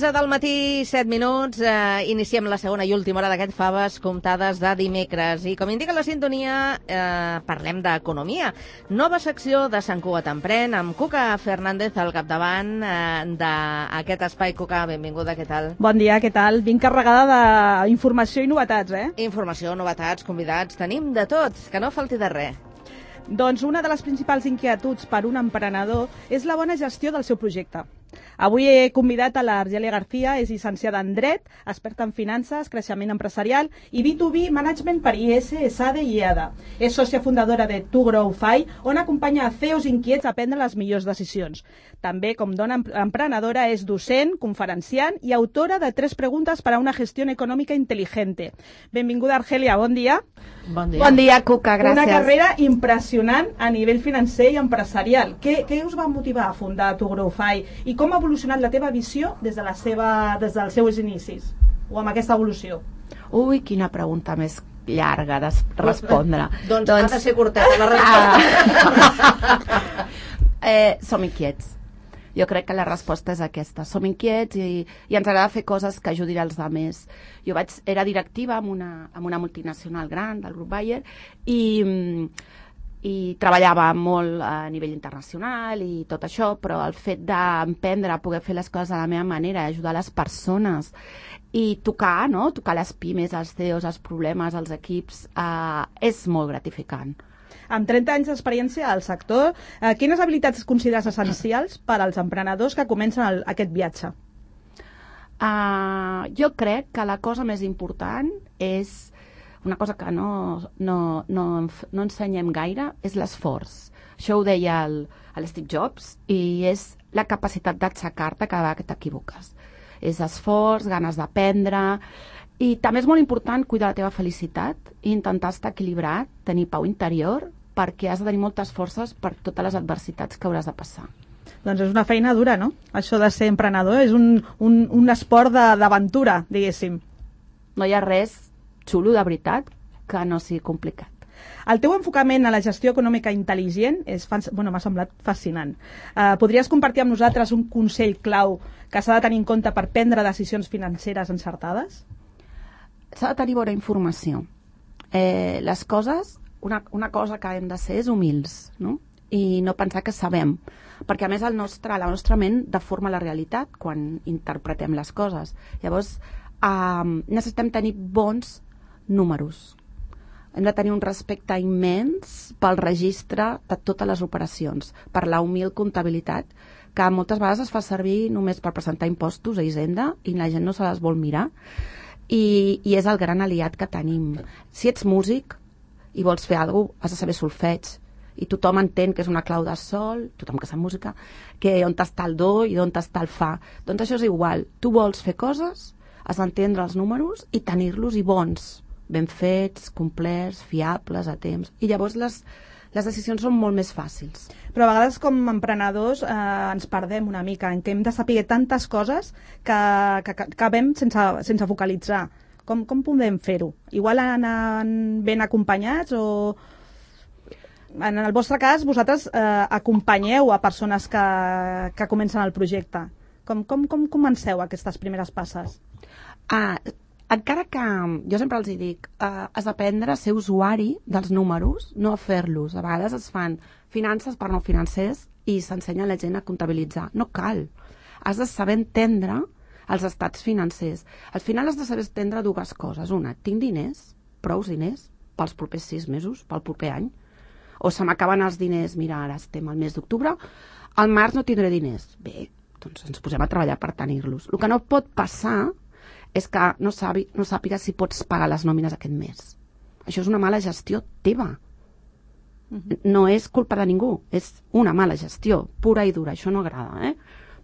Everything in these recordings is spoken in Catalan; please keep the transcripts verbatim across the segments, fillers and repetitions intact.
onze del matí, set minuts, eh, iniciem la segona i última hora d'aquest Faves comptades de dimecres. I com indica la sintonia, eh, parlem d'economia. Nova secció de Sant Cugat Emprèn, amb Cuca Fernández al capdavant eh, d'aquest espai. Cuca, benvinguda, què tal? Bon dia, què tal? Vinc carregada d'informació i novetats, eh? Informació, novetats, convidats, tenim de tot, que no falti de res. Doncs una de les principals inquietuds per un emprenedor és la bona gestió del seu projecte. Avui he convidat a l'Argelia García, és llicenciada en Dret, experta en finances, creixement empresarial i B dos B Management per I E S, ESADE i EADA. És sòcia fundadora de To Grow Fi, on acompanya a C E Os inquiets a prendre les millors decisions. També, com dona emprenedora, és docent, conferenciant i autora de tres preguntes per a una gestió econòmica intel·ligente. Benvinguda, Argelia, bon dia. Bon dia. Bon dia, Cuca, gràcies. Una carrera impressionant a nivell financer i empresarial. Què, què us va motivar a fundar To Grow Fi i com ha evolucionat la teva visió des, de la seva, des dels seus inicis o amb aquesta evolució? Ui, quina pregunta més llarga de respondre. Doncs, doncs ha de ser curteta la resposta. Ah. eh, som inquiets. Jo crec que la resposta és aquesta. Som inquiets i, i ens agrada fer coses que ajudin els altres. Jo vaig, era directiva en una, en una multinacional gran del grup Bayer i, i treballava molt a nivell internacional i tot això, però el fet d'emprendre, poder fer les coses de la meva manera, ajudar les persones i tocar, no? Tocar les pimes, els C E Os, els problemes, els equips, eh, és molt gratificant. Amb trenta anys d'experiència al sector, eh, quines habilitats consideres essencials per als emprenedors que comencen el, aquest viatge? Uh, jo crec que la cosa més important és una cosa que no, no, no, no ensenyem gaire, és l'esforç. Això ho deia el, el Steve Jobs i és la capacitat d'aixecar-te cada vegada que t'equivoques. És esforç, ganes d'aprendre i també és molt important cuidar la teva felicitat i intentar estar equilibrat, tenir pau interior, perquè has de tenir moltes forces per totes les adversitats que hauràs de passar. Doncs és una feina dura, no? Això de ser emprenedor és un, un, un esport d'aventura, diguéssim. No hi ha res xulo de veritat que no sigui complicat. El teu enfocament a la gestió econòmica intel·ligent és, bueno, m'ha semblat fascinant. Uh, podries compartir amb nosaltres un consell clau que s'ha de tenir en compte per prendre decisions financeres encertades? S'ha de tenir bona informació. Eh, les coses, una, una cosa que hem de ser és humils, no? I no pensar que sabem, perquè a més el nostre, la nostra ment deforma la realitat quan interpretem les coses. Llavors, eh, necessitem tenir bons números. Hem de tenir un respecte immens pel registre de totes les operacions, per la humil comptabilitat, que moltes vegades es fa servir només per presentar impostos a Hisenda i la gent no se les vol mirar, i, i és el gran aliat que tenim. Si ets músic i vols fer alguna cosa, has de saber solfeig, i tothom entén que és una clau de sol, tothom que sap música, que on està el do i on està el fa. Doncs això és igual. Tu vols fer coses, has d'entendre els números i tenir-los i bons, ben fets, complerts, fiables, a temps. I llavors les, les decisions són molt més fàcils. Però a vegades com a emprenedors eh, ens perdem una mica, en què hem de saber tantes coses que, que, que acabem sense, sense focalitzar. Com, com podem fer-ho? Igual anant ben acompanyats o... En el vostre cas, vosaltres eh, acompanyeu a persones que, que comencen el projecte. Com, com, com comenceu aquestes primeres passes? Ah, encara que jo sempre els hi dic, eh, has d'aprendre a ser usuari dels números, no a fer-los. A vegades es fan finances per no financers i s'ensenya a la gent a comptabilitzar. No cal. Has de saber entendre els estats financers. Al final has de saber entendre dues coses. Una, tinc diners, prous diners, pels propers sis mesos, pel proper any, o se m'acaben els diners, mira, ara estem al mes d'octubre, al març no tindré diners. Bé, doncs ens posem a treballar per tenir-los. El que no pot passar és que no, sabi, no sàpiga si pots pagar les nòmines aquest mes. Això és una mala gestió teva. Uh-huh. No és culpa de ningú, és una mala gestió, pura i dura, això no agrada, eh?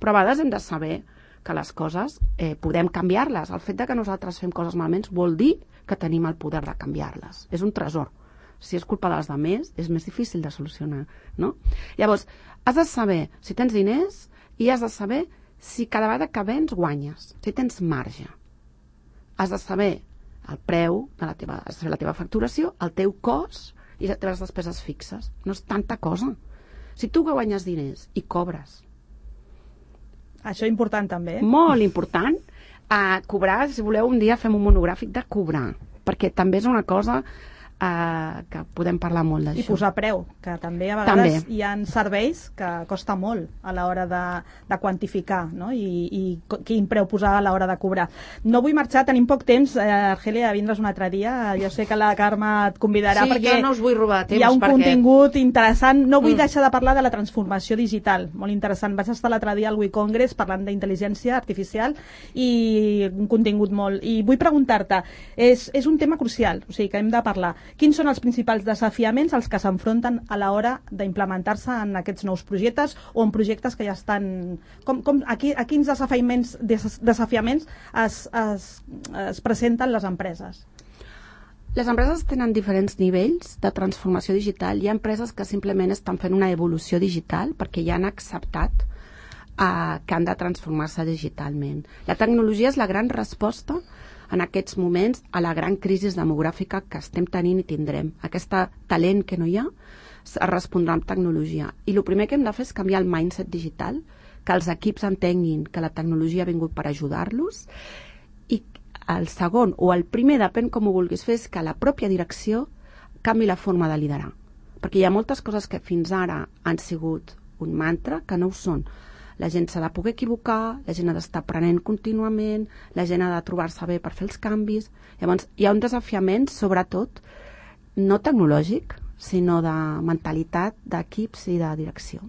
Però a vegades hem de saber que les coses eh, podem canviar-les. El fet de que nosaltres fem coses malament vol dir que tenim el poder de canviar-les. És un tresor. Si és culpa dels altres, és més difícil de solucionar, no? Llavors, has de saber si tens diners i has de saber si cada vegada que vens guanyes, si tens marge. Has de saber el preu de la teva, has de saber la teva facturació, el teu cost i les teves despeses fixes. No és tanta cosa. Si tu guanyes diners i cobres... Això és important també. Molt important. A cobrar, si voleu, un dia fem un monogràfic de cobrar, perquè també és una cosa uh, que podem parlar molt d'això. I posar preu, que també a vegades també. hi ha serveis que costa molt a l'hora de, de quantificar, no? I, i quin preu posar a l'hora de cobrar. No vull marxar, tenim poc temps, eh, Argelia, vindre's un altre dia. Jo sé que la Carme et convidarà sí, perquè jo no us vull robar temps, hi ha un perquè... contingut interessant. No vull mm. deixar de parlar de la transformació digital, molt interessant. Vaig estar l'altre dia al We Congress parlant d'intel·ligència artificial i un contingut molt... I vull preguntar-te, és, és un tema crucial, o sigui que hem de parlar. Quins són els principals desafiaments als que s'enfronten a l'hora d'implementar-se en aquests nous projectes o en projectes que ja estan... Com, com, a, qui, a quins desafiaments, des, desafiaments es, es, es presenten les empreses? Les empreses tenen diferents nivells de transformació digital. Hi ha empreses que simplement estan fent una evolució digital perquè ja han acceptat uh, que han de transformar-se digitalment. La tecnologia és la gran resposta en aquests moments a la gran crisi demogràfica que estem tenint i tindrem. Aquest talent que no hi ha es respondrà amb tecnologia. I el primer que hem de fer és canviar el mindset digital, que els equips entenguin que la tecnologia ha vingut per ajudar-los, i el segon, o el primer, depèn com ho vulguis fer, és que la pròpia direcció canvi la forma de liderar. Perquè hi ha moltes coses que fins ara han sigut un mantra que no ho són. La gent s'ha de poder equivocar, la gent ha d'estar aprenent contínuament, la gent ha de trobar-se bé per fer els canvis. Llavors, hi ha un desafiament, sobretot, no tecnològic, sinó de mentalitat, d'equips i de direcció.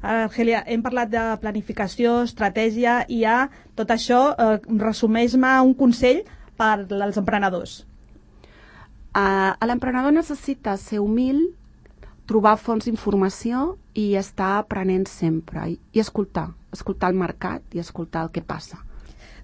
Argelia, hem parlat de planificació, estratègia, i hi ha tot això, eh, resumeix-me un consell per als emprenedors. Uh, l'emprenedor necessita ser humil, trobar fonts d'informació i estar aprenent sempre i, i escoltar, escoltar el mercat i escoltar el que passa.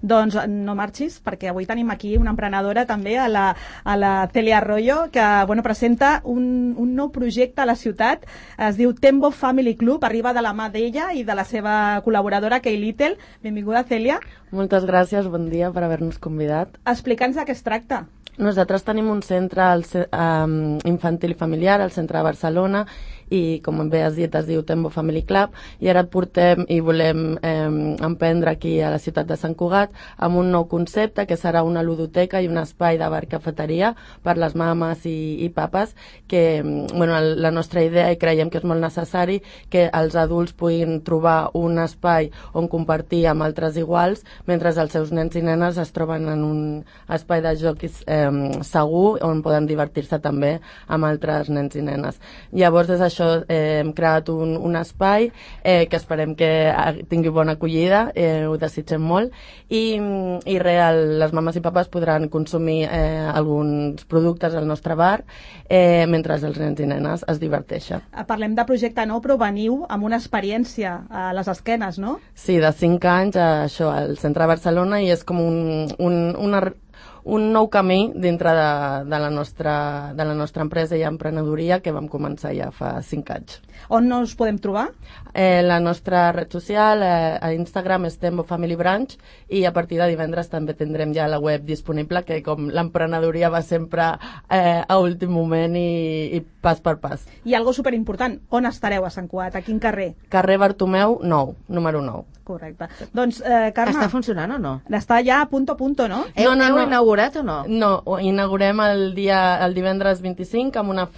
Doncs no marxis, perquè avui tenim aquí una emprenedora també, a la, a la Celia Arroyo, que bueno, presenta un, un nou projecte a la ciutat, es diu Tembo Family Club, arriba de la mà d'ella i de la seva col·laboradora, Kay Little. Benvinguda, Celia. Moltes gràcies, bon dia per haver-nos convidat. Explica'ns de què es tracta. Nosaltres tenim un centre um, infantil i familiar al centre de Barcelona i, com bé has dit, es diu Tembo Family Club, i ara et portem i volem eh, emprendre aquí a la ciutat de Sant Cugat amb un nou concepte que serà una ludoteca i un espai de bar-cafeteria per les mames i, i papes, que bueno, la nostra idea, i creiem que és molt necessari, que els adults puguin trobar un espai on compartir amb altres iguals mentre els seus nens i nenes es troben en un espai de joc eh, segur on poden divertir-se també amb altres nens i nenes. Llavors, des d'això eh, hem creat un, un espai eh, que esperem que tingui bona acollida, eh, ho desitgem molt, i, i real, les mames i papes podran consumir eh, alguns productes al nostre bar eh, mentre els nens i nenes es diverteixen. Parlem de projecte nou, però veniu amb una experiència a les esquenes, no? Sí, de cinc anys, a, això, al centre de Barcelona, i és com un, un, una un nou camí dintre de, de, la nostra, de la nostra empresa i emprenedoria que vam començar ja fa cinc anys. On no us podem trobar? Eh, la nostra red social eh, a Instagram és Tembo Family Branch, i a partir de divendres també tindrem ja la web disponible, que com l'emprenedoria va sempre eh, a últim moment i, i pas per pas. I algo superimportant, on estareu a Sant Cugat? A quin carrer? Carrer Bartomeu nou, número nou. Correcte. Doncs, eh, Carme... Està funcionant o no? Està ja a punto a punto, no? Heu, no, no, heu no. inaugurat o no? No, ho inaugurem el, dia, el divendres vint-i-cinc amb una,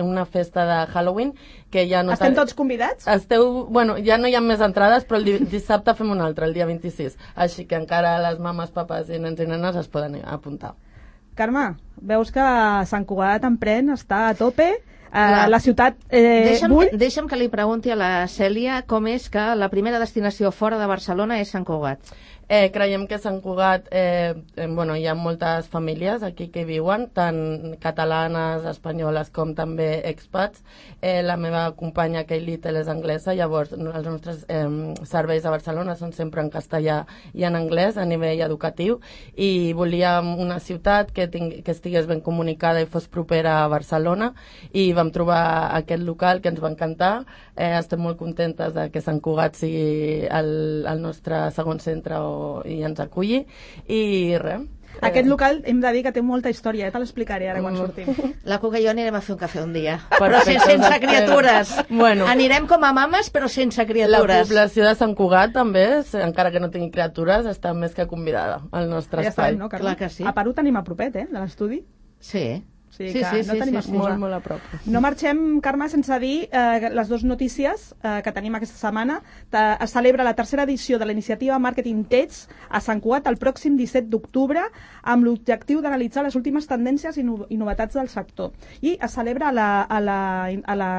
una festa de Halloween que ja no... Estem tots convidats? Esteu, bueno, ja no hi ha més entrades, però el dissabte fem una altra, el dia vint-i-sis. Així que encara les mames, papes i nens i nenes es poden apuntar. Carme, veus que Sant Cugat Emprèn està a tope. Uh, la ciutat eh, deixa'm, bull... deixa'm que li pregunti a la Cèlia com és que la primera destinació fora de Barcelona és Sant Cugat. Eh, creiem que Sant Cugat, eh, eh, bueno, hi ha moltes famílies aquí que viuen, tant catalanes, espanyoles com també expats. Eh, la meva companya Kate Little és anglesa, llavors els nostres eh, serveis a Barcelona són sempre en castellà i en anglès a nivell educatiu, i volíem una ciutat que, tingui, que estigués ben comunicada i fos propera a Barcelona, i vam trobar aquest local que ens va encantar. Eh, estem molt contentes de que Sant Cugat sigui el, el nostre segon centre o i ens aculli, i res. Aquest local hem de dir que té molta història, eh? Te l'explicaré ara quan sortim. La Cuca i jo anirem a fer un cafè un dia, però sense, sense criatures. Bueno, anirem com a mames, però sense criatures. La població de Sant Cugat també, encara que no tingui criatures, està més que convidada al nostre ja espai. Sabem, no, Clar que sí. A Perú tenim a propet, eh, de l'estudi. Sí. Sí, sí, que sí, no sí, tenim sí, excusa. Molt, molt a prop. No marxem, Carme, sense dir eh, les dues notícies eh, que tenim aquesta setmana. Ta, es celebra la tercera edició de la iniciativa Marketing Techs a Sant Cugat el pròxim disset d'octubre, amb l'objectiu d'analitzar les últimes tendències i, no, i novetats del sector. I es celebra a la, a la, a la,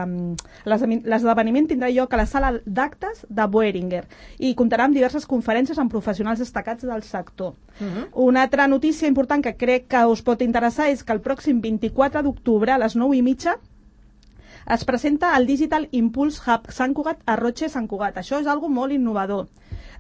l'esdeveniment tindrà lloc a la sala d'actes de Boehringer i comptarà amb diverses conferències amb professionals destacats del sector. Uh-huh. Una altra notícia important que crec que us pot interessar és que el pròxim vint-i-quatre d'octubre a les nou i mitja es presenta el Digital Impulse Hub Sant Cugat a Roche Sant Cugat. Això és algo molt innovador.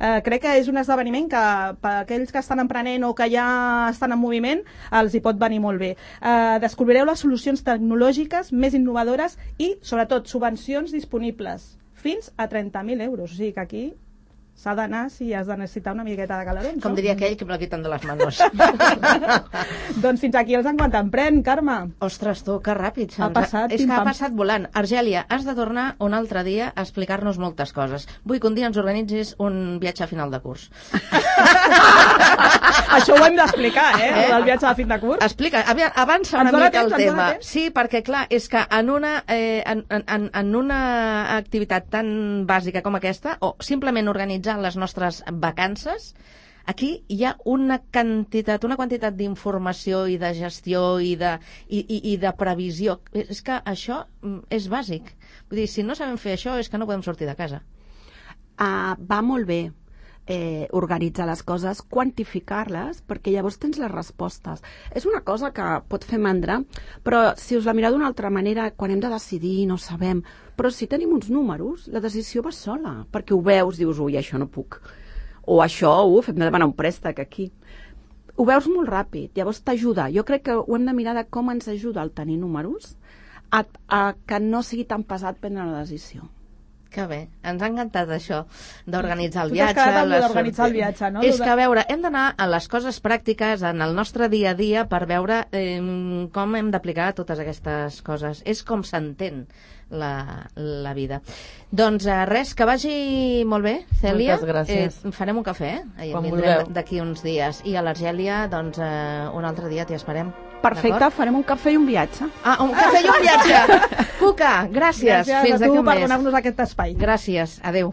Eh, crec que és un esdeveniment que per aquells que estan emprenent o que ja estan en moviment els hi pot venir molt bé. Eh, descobrireu les solucions tecnològiques més innovadores i, sobretot, subvencions disponibles fins a trenta mil euros. O sigui que aquí s'ha d'anar si has de necessitar una miqueta de calorons. Com diria aquell que me la quitan de les manos. Doncs fins aquí els enquant empren, Carme. Ostres, tu, que ràpid. Ha passat, és que ha pim-pam. passat volant. Argèlia, has de tornar un altre dia a explicar-nos moltes coses. Vull que un dia ens organitzis un viatge a final de curs. Això ho hem d'explicar, eh? eh? El viatge de fin de curs. Explica, avança una Ens dona mica temps, el ens dona tema. temps. Sí, perquè clar, és que en una, eh, en, en, en una activitat tan bàsica com aquesta, o simplement organitzar les nostres vacances, aquí hi ha una quantitat, una quantitat d'informació i de gestió i de, i, i, i de previsió. És que això és bàsic. Vull dir, si no sabem fer això és que no podem sortir de casa. Uh, va molt bé eh, organitzar les coses, quantificar-les, perquè llavors tens les respostes. És una cosa que pot fer mandra, però si us la mireu d'una altra manera, quan hem de decidir no sabem, però si tenim uns números, la decisió va sola, perquè ho veus, dius, ui, això no puc, o això, uf, hem de demanar un préstec aquí. Ho veus molt ràpid, llavors t'ajuda. Jo crec que ho hem de mirar de com ens ajuda el tenir números a, a que no sigui tan pesat prendre la decisió. Que bé, ens ha encantat això d'organitzar el Tu t'has viatge. quedat amb les d'organitzar el sorti- viatge, no? És que, a veure, hem d'anar a les coses pràctiques en el nostre dia a dia per veure eh, com hem d'aplicar totes aquestes coses. És com s'entén la, la vida. Doncs eh, res, que vagi molt bé, Cèlia. Moltes gràcies. Eh, farem un cafè, eh? Quan Vindrem vulgueu. d'aquí uns dies. I a l'Argèlia, doncs, eh, un altre dia t'hi esperem. Perfecte, D'acord? farem un cafè i un viatge. Ah, un cafè i un viatge. Cuca, gràcies. Gràcies Fins a d'aquí tu un per mes. donar-nos aquest espai. Gràcies. Adéu.